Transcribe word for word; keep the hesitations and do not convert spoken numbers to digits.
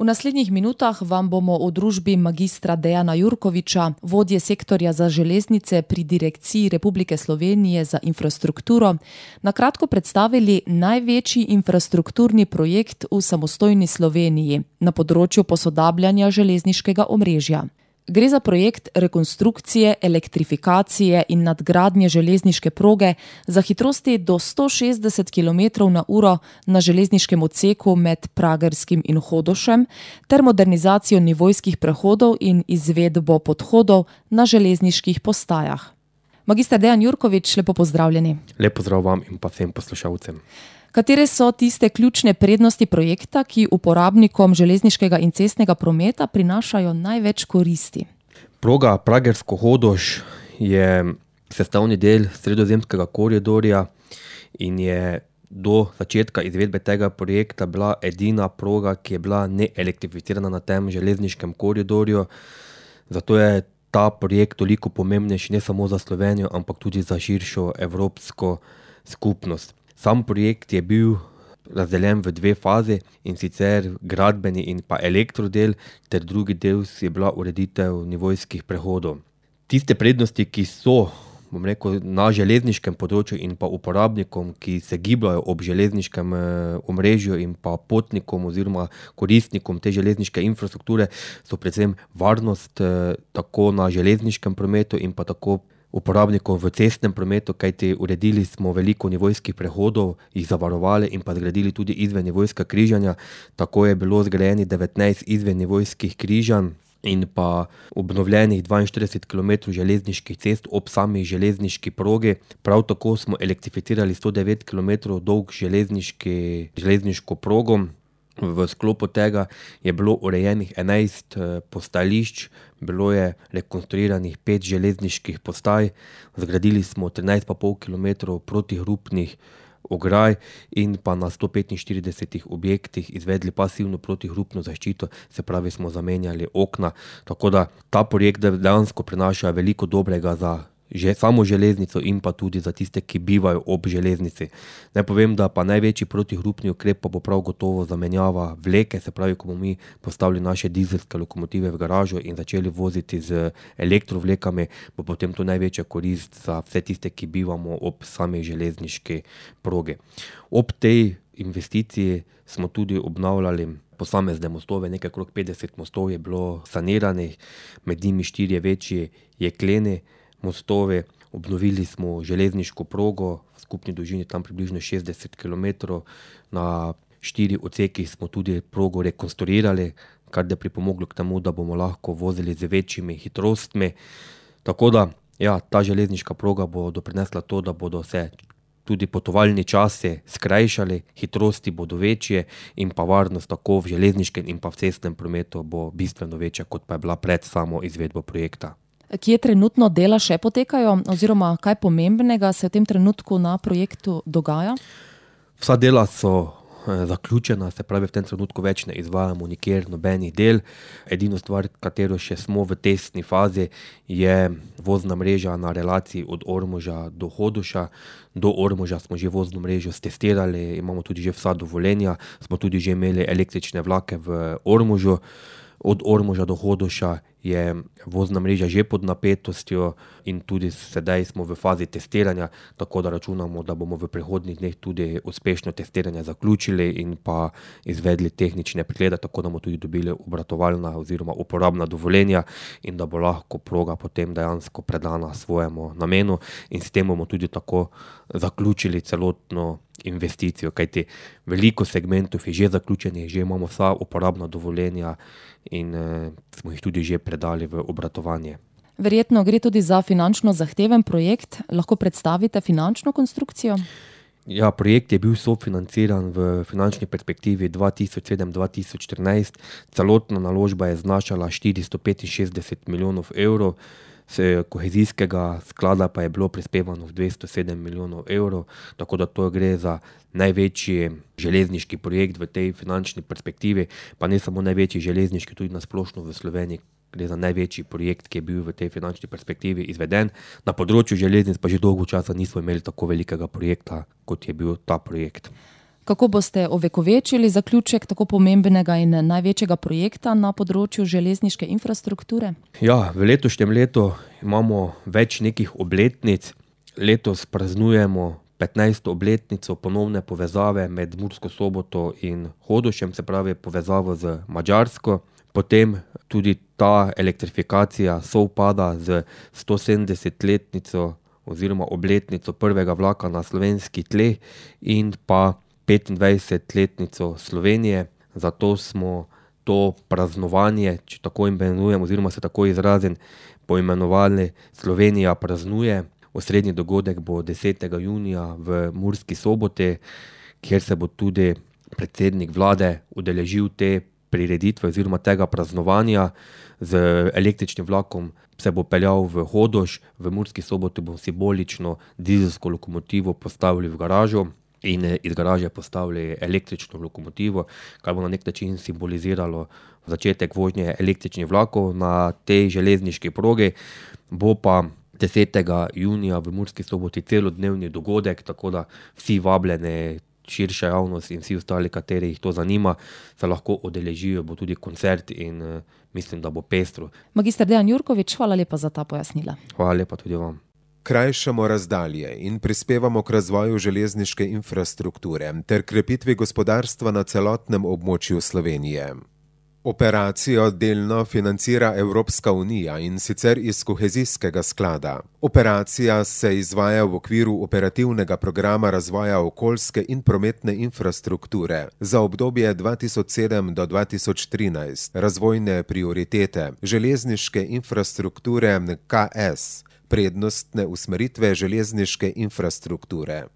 V naslednjih minutah vam bomo v družbi magistra Dejana Jurkoviča, vodje sektorja za železnice pri Direkciji Republike Slovenije za infrastrukturo, na kratko predstavili največji infrastrukturni projekt v samostojni Sloveniji na področju posodabljanja železniškega omrežja. Gre za projekt rekonstrukcije, elektrifikacije in nadgradnje železniške proge za hitrosti do sto šestdeset kilometrov na uro na železniškem odseku med Pragerskim in Hodošem ter modernizacijo nivojskih prehodov in izvedbo podhodov na železniških postajah. Magister Dejan Jurkovič, lepo pozdravljeni. Lep pozdrav vam in pa vsem poslušalcem. Katere so tiste ključne prednosti projekta, ki uporabnikom železniškega in cestnega prometa prinašajo največ koristi? Proga Pragersko-Hodoš je sestavni del sredozemskega koridorja in je do začetka izvedbe tega projekta bila edina proga, ki je bila neelektrificirana na tem železniškem koridorju. Zato je ta projekt toliko pomembnejši ne samo za Slovenijo, ampak tudi za širšo evropsko skupnost. Sam projekt je bil razdeljen v dve fazi, in sicer gradbeni in pa elektrodel, ter drugi del je bila ureditev nivojskih prehodov. Tiste prednosti, ki so, bom rekel, na železniškem področju in pa uporabnikom, ki se gibljajo ob železniškem omrežju in pa potnikom oziroma koristnikom te železniške infrastrukture, so predvsem varnost tako na železniškem prometu in pa tako uporabnikov v cestnem prometu, kajti uredili smo veliko nivojskih prehodov, jih zavarovali in pa zgradili tudi izvennivojska križanja. Tako je bilo zgrajenih devetnajst izvennivojskih križanj in pa obnovljenih dvainštirideset kilometrov železniških cest ob sami železniški progi. Prav tako smo elektrificirali sto devet kilometrov dolg železniški, železniško progo. V sklopu tega je bilo urejenih enajst postajališč, bilo je rekonstruiranih pet železniških postaj, zgradili smo trinajst pa pol kilometrov protihrupnih ograj in pa na sto petinštiridesetih objektih izvedli pasivno protihrupno zaščito, se pravi smo zamenjali okna. Tako da ta projekt dejansko prinaša veliko dobrega za že samo železnico in pa tudi za tiste, ki bivajo ob železnici. Naj povem, da pa največji protihrupni ukrep pa bo prav gotovo zamenjava vleke, se pravi, ko bomo mi postavili naše dizelske lokomotive v garažo in začeli voziti z elektrovlekami, bo potem to največja korist za vse tiste, ki bivamo ob sami železniški progi. Ob tej investiciji smo tudi obnavljali posamezne mostove, nekaj okrog petdeset mostov je bilo saniranih, med njimi štirje večji jekleni mostovi. Obnovili smo železniško progo v skupni dolžini tam približno šestdeset kilometrov. Na štiri odsekih smo tudi progo rekonstruirali, kar je pripomoglo k temu, da bomo lahko vozili z večjimi hitrostmi. Tako da, ja, ta železniška proga bo doprinesla to, da bodo se tudi potovalni časi skrajšali, hitrosti bodo večje in pa varnost tako v železniškem in pa v cestnem prometu bo bistveno večja, kot pa je bila pred samo izvedbo projekta. Kje trenutno dela še potekajo oziroma kaj pomembnega se v tem trenutku na projektu dogaja? Vsa dela so zaključena, se pravi v tem trenutku več ne izvajamo nikjer nobenih del. Edino stvar, katero še smo v testni fazi, je vozna mreža na relaciji od Ormoža do Hodoša. Do Ormoža smo že vozno mrežo stestirali, imamo tudi že vsa dovoljenja, smo tudi že imeli električne vlake v Ormožu. Od Ormoža do Hodoša je vozna mreža že pod napetostjo in tudi sedaj smo v fazi testiranja, tako da računamo, da bomo v prihodnjih dneh tudi uspešno testiranje zaključili in pa izvedli tehnične preglede, tako da bomo tudi dobili obratovalna oziroma uporabna dovoljenja in da bo lahko proga potem dejansko predana svojemu namenu in s tem bomo tudi tako zaključili celotno investicijo, kajti veliko segmentov je že zaključenih, že imamo vsa uporabna dovoljenja in eh, smo jih tudi že predali v obratovanje. Verjetno gre tudi za finančno zahteven projekt. Lahko predstavite finančno konstrukcijo? Ja, projekt je bil sofinanciran v finančni perspektivi dva tisoč sedem do dva tisoč štirinajst. Celotna naložba je znašala štiristo petinšestdeset milijonov evrov, z kohezijskega sklada pa je bilo prispevano v dvesto sedem milijonov evrov, tako da to gre za največji železniški projekt v tej finančni perspektivi, pa ne samo največji železniški, tudi na splošno v Sloveniji. Gre za največji projekt, ki je bil v tej finančni perspektivi izveden. Na področju železnic pa že dolgo časa nismo imeli tako velikega projekta, kot je bil ta projekt. Kako boste ovekovečili zaključek tako pomembnega in največjega projekta na področju železniške infrastrukture? Ja, v letošnjem letu imamo več nekih obletnic. Letos praznujemo petnajsto obletnico ponovne povezave med Mursko Soboto in Hodošem, se pravi povezavo z Madžarsko. Potem tudi ta elektrifikacija sovpada z stosedemdesetletnico oziroma obletnico prvega vlaka na slovenski tleh in pa petindvajsetletnico Slovenije. Zato smo to praznovanje, če tako imenujem oziroma se tako izrazim, poimenovali Slovenija praznuje. Osrednji dogodek bo desetega junija v Murski Soboti, kjer se bo tudi predsednik vlade udeležil te prireditve oziroma tega praznovanja. Z električnim vlakom se bo peljal v Hodoš, v Murski Soboti bo simbolično dizelsko lokomotivo postavili v garažo in iz garaže postavili električno lokomotivo, kar bo na nek način simboliziralo začetek vožnje električnih vlakov na tej železniški progi. Bo pa desetega junija v Murski Soboti celodnevni dogodek, tako da vsi vabljeni, širša javnost in vsi ostali, kateri jih to zanima, se lahko udeležijo, bo tudi koncert in uh, mislim, da bo pestro. Magister Dejan Jurkovič, hvala lepa za ta pojasnila. Hvala lepa tudi vam. Krajšamo razdalje in prispevamo k razvoju železniške infrastrukture ter krepitvi gospodarstva na celotnem območju Slovenije. Operacijo delno financira Evropska unija in sicer iz kohezijskega sklada. Operacija se izvaja v okviru operativnega programa razvoja okoljske in prometne infrastrukture za obdobje dva tisoč sedem do dva tisoč trinajst, razvojne prioritete železniške infrastrukture K S, prednostne usmeritve železniške infrastrukture.